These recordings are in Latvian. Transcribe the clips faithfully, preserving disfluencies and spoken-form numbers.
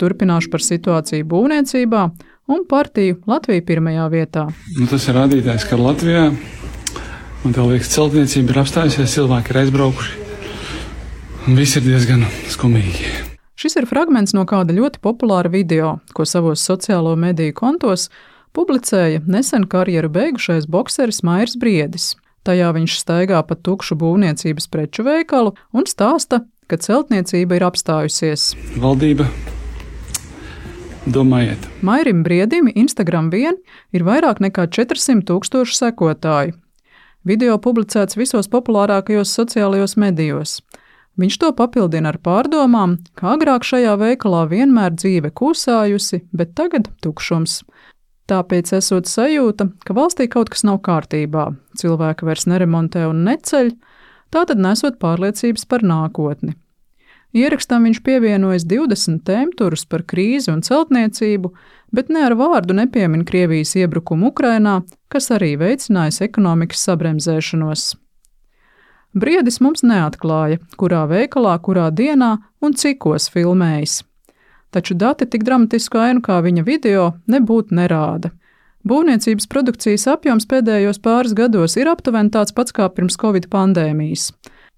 turpināšu par situāciju būvniecībā un partiju Latvija pirmajā vietā. Nu, tas ir rādītājs, ka Latvijā, man tā liekas, celtniecība ir apstājusies, cilvēki ir aizbraukuši. Un viss ir diezgan skumīgi. Šis ir fragments no kāda ļoti populāra video, ko savos sociālo mediju kontos publicēja nesen karjeru beigušais bokseris Mairis Briedis. Tajā viņš staigā pa tukšu būvniecības preču veikalu un stāsta, ka celtniecība ir apstājusies. Valdība, domājiet. Mairim Briedim Instagram vien ir vairāk nekā četrsimt tūkstoši sekotāju. Video publicēts visos populārākajos sociālajos medijos. Viņš to papildina ar pārdomām, ka agrāk šajā veikalā vienmēr dzīve kūsājusi, bet tagad tukšums. Tāpēc esot sajūta, ka valstī kaut kas nav kārtībā, cilvēki vairs neremontē un neceļ, tātad nesot pārliecības par nākotni. Ierakstam viņš pievienojas divdesmit tēmturus par krīzi un celtniecību, bet ne ar vārdu nepiemin Krievijas iebrukumu Ukrainā, kas arī veicinājis ekonomikas sabremzēšanos. Briedis mums neatklāja, kurā veikalā, kurā dienā un cikos filmējis. Taču dati tik dramatisku ainu kā viņa video nebūtu nerāda. Būvniecības produkcijas apjoms pēdējos pāris gados ir aptuveni tāds pats kā pirms Covid pandēmijas.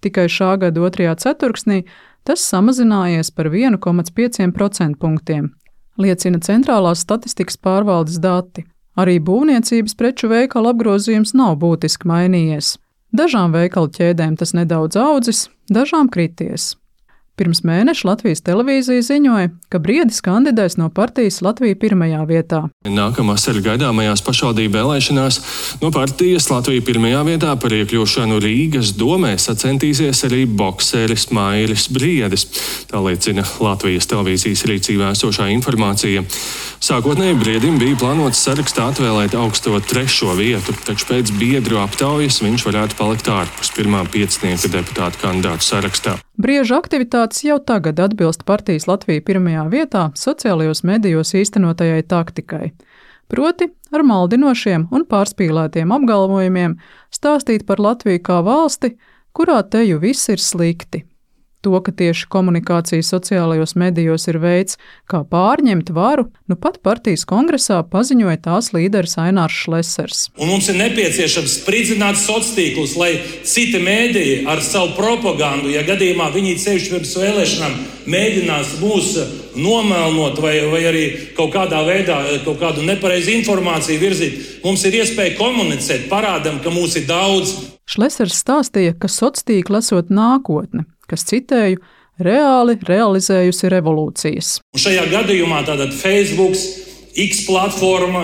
Tikai šā gada otrajā ceturksnī tas samazinājies par vienu komats pieciem procentpunktiem, liecina Centrālās statistikas pārvaldes dati. Arī būvniecības preču veikalu apgrozījums nav būtiski mainījies. Dažām veikalu ķēdēm tas nedaudz audzis, dažām krities. Pirms mēneša Latvijas televīzija ziņoja, ka Briedis kandidēs no partijas Latvija pirmajā vietā. Nākamvasar gaidāmajās pašvaldību vēlēšanās no partijas Latvija pirmajā vietā par iekļūšanu Rīgas domē sacentīsies arī bokseris Mairis Briedis. Tā liecina Latvijas televīzijas rīcībā esošā informācija. Sākotnēji Briedim bija plānots sarakstā atvēlēt augsto trešo vietu, taču pēc biedru aptaujas viņš varētu palikt ārpus pirmā piecinieka deputātu kandidātu sarakstā. Brieža aktivitātes jau tagad atbilst partijas Latvija pirmajā vietā sociālajos medijos īstenotajai taktikai. Proti, ar maldinošiem un pārspīlētiem apgalvojumiem stāstīt par Latviju kā valsti, kurā teju viss ir slikti. To, ka tieši komunikācija sociālajos medijos ir veids, kā pārņemt varu, nu pat partijas kongresā paziņoja tās līderis Ainārs Šlesers. Un mums ir nepieciešams spridzināt sociāltīklus, lai citi mēdīji ar savu propagandu, ja gadījumā viņi sevišķi pirms vēlēšanām mēģinās mūs nomelnot vai, vai arī kaut kādā veidā kaut kādu nepareizu informāciju virzīt, mums ir iespēja komunicēt, parādam, ka mūs ir daudz. Šlesers stāstīja, ka sociāltīkli esot nākotne, kas, citēju, reāli realizējusi revolūcijas. Un šajā gadījumā tātad Facebook, X platforma,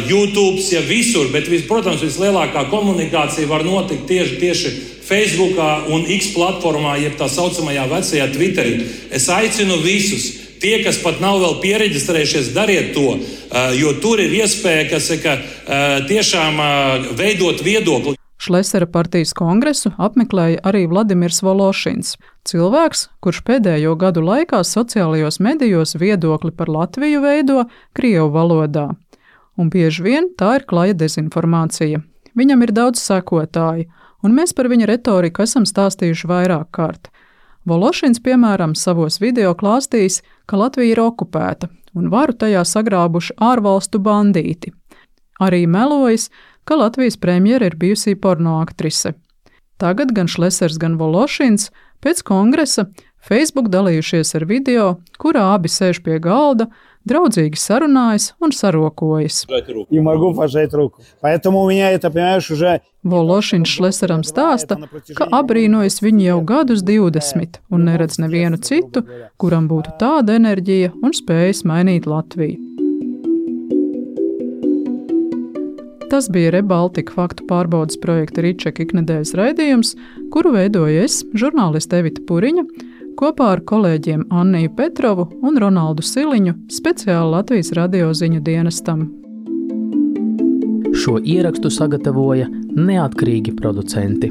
YouTube, ja visur, bet, protams, vislielākā komunikācija var notikt tieši, tieši Facebookā un X platformā, jeb tā saucamajā vecajā Twitterī. Es aicinu visus, tie, kas pat nav vēl piereģistrējušies, dariet to, jo tur ir iespēja, kas ir, ka tiešām veidot viedokli. Šlesera partijas kongresu apmeklēja arī Vladimirs Vološins, cilvēks, kurš pēdējo gadu laikā sociālajos medijos viedokli par Latviju veido krievu valodā. Un bieži vien tā ir klaja dezinformācija. Viņam ir daudz sekotāju, un mēs par viņa retoriku esam stāstījuši vairāk kārt. Vološins, piemēram, savos video klāstījis, ka Latvija ir okupēta, un varu tajā sagrābuši ārvalstu bandīti. Arī melojis, ka Latvijas premjera ir bijusī pornoaktrise. Tagad gan Šlesers, gan Vološins pēc kongresa Facebook dalījušies ar video, kurā abi sēž pie galda, draudzīgi sarunājas un sarokojas. Vološins Šleseram stāsta, ka abrīnojas viņu jau gadus divdesmit un neredz nevienu citu, kuram būtu tāda enerģija un spējas mainīt Latviju. Tas bija Rebaltika faktu pārbaudes projekta Ričeka iknedēļas raidījums, kuru veidoju es, žurnāliste Evita Puriņa, kopā ar kolēģiem Anniju Petrovu un Ronaldu Siliņu speciāli Latvijas radio ziņu dienestam. Šo ierakstu sagatavoja neatkarīgi producenti.